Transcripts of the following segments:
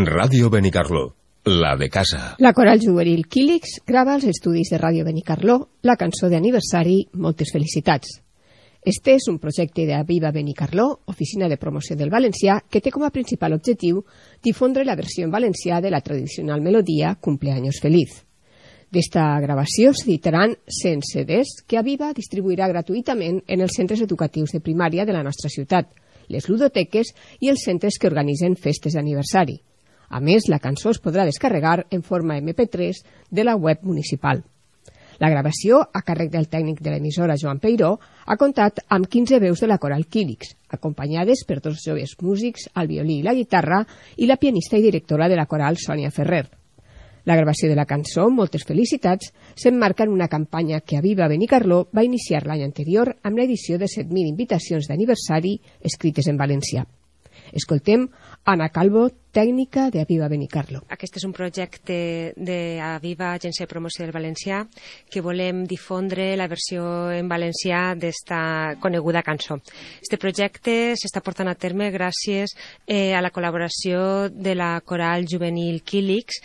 Ràdio Benicarló, la de casa. La coral juvenil Quílix grava als estudis de Ràdio Benicarló la cançó d'aniversari Moltes felicitats. Este és un projecte de Aviva Benicarló, Oficina de Promoció del Valencià, que té com a principal objectiu difondre la versió en valencià de la tradicional melodia Cumpleaños feliz. D'esta gravació s'editaran 100 CDs que Aviva distribuirà gratuïtament en els centres educatius de primària de la nostra ciutat, les ludoteques i els centres que organitzen festes d'aniversari. A més, la cançó es podrà descarregar en forma MP3 de la web municipal. La gravació, a càrrec del tècnic de l'emissora Joan Peiró, ha comptat amb 15 veus de la coral Quílix, acompanyades per dos joves músics, el violí i la guitarra, i la pianista i directora de la coral Sònia Ferrer. La gravació de la cançó, Moltes felicitats, s'emmarca en una campanya que Aviva Benicarló va iniciar l'any anterior amb l'edició de 7.000 invitacions d'aniversari escrites en valencià. Escoltem Anna Calvo, tècnica d'Aviva Benicarló. Aquest és un projecte d'Aviva, Agència de Promoció del Valencià, que volem difondre la versió en valencià d'esta coneguda cançó. Este projecte s'està portant a terme gràcies a la col·laboració de la coral juvenil Quílix,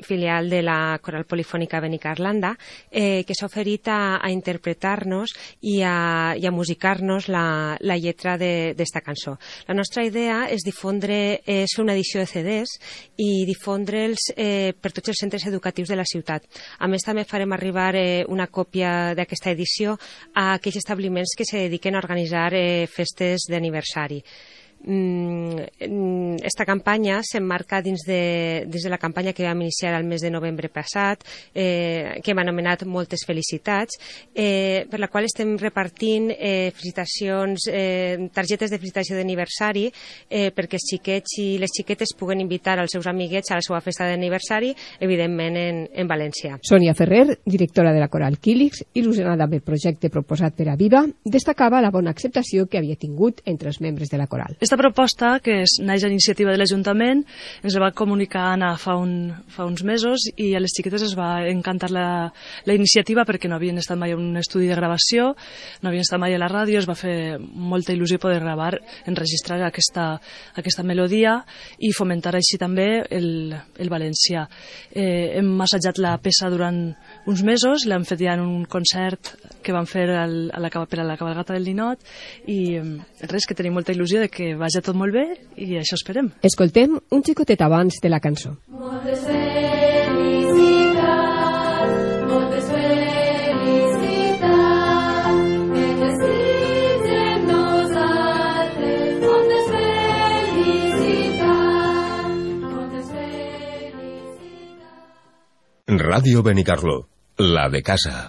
filial de la coral polifònica Benicarlanda, que s'ha oferit a interpretar-nos i a musicar-nos la lletra d'esta cançó. La nostra idea és difondre fer una edició de CDs i difondre'ls per tots els centres educatius de la ciutat. A més, també farem arribar una còpia d'aquesta edició a aquells establiments que se dediquen a organitzar festes d'aniversari. Esta campanya s'emmarca dins de la campanya que vam iniciar el mes de novembre passat, que hem anomenat Moltes felicitats, per la qual estem repartint felicitacions, targetes de felicitació d'aniversari, perquè els xiquets i les xiquetes puguen invitar els seus amiguets a la seva festa d'aniversari, evidentment en valencià. Sònia Ferrer, directora de la coral Quílix, il·lusionada amb el projecte proposat per Aviva, destacava la bona acceptació que havia tingut entre els membres de la coral. Aquesta proposta, que naix a iniciativa de l'Ajuntament, ens la va comunicar Anna fa uns mesos i a les xiquetes es va encantar la iniciativa perquè no havien estat mai en un estudi de gravació, no havien estat mai a la ràdio, es va fer molta il·lusió poder gravar, enregistrar aquesta melodia i fomentar així també el valencià. Hem assajat la peça durant uns mesos, l'hem fet ja en un concert que vam fer per a la cabalgata del Ninot i res, que tenim molta il·lusió de que vagi tot molt bé i això esperem. Escoltem un xicotet abans de la cançó. Moltes felicitats, moltes felicitats, que desitgem nosaltres, moltes felicitats, moltes felicitats. Ràdio Benicarló, la de casa.